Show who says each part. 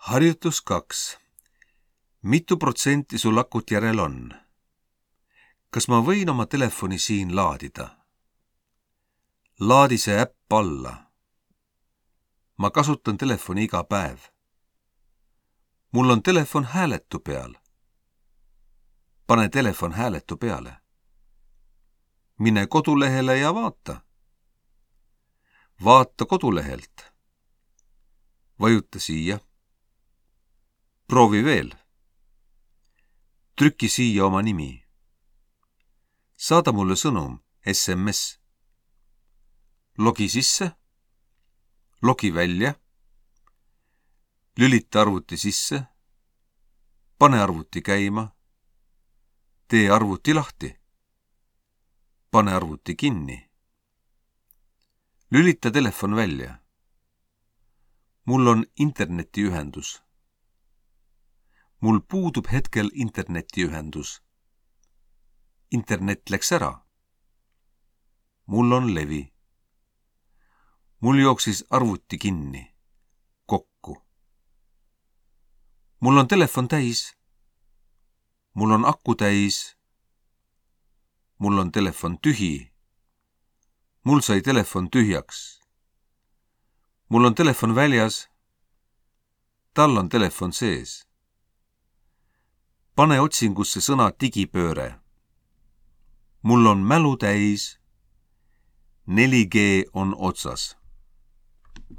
Speaker 1: Harjutus 2. Mitu protsenti sul akut järel on? Kas ma võin oma telefoni siin laadida? Laadi see äpp alla. Ma kasutan telefoni iga päev. Mul on telefon hääletu peal. Pane telefon hääletu peale. Mine kodulehele ja vaata. Vaata kodulehelt. Vajuta siia. Proovi veel. Trüki siia oma nimi. Saada mulle sõnum, SMS. Logi sisse. Logi välja. Lülita arvuti sisse. Pane arvuti käima. Tee arvuti lahti. Pane arvuti kinni. Lülita telefon välja. Mul on internetiühendus. Mul puudub hetkel internetiühendus. Internet läks ära. Mul on levi. Mul jooksis arvuti kinni. Kokku. Mul on telefon täis. Mul on aku täis. Mul on telefon tühi. Mul sai telefon tühjaks. Mul on telefon väljas. Tal on telefon sees. Pane otsingusse sõna digipööre. Mul on mälu täis. 4G on otsas.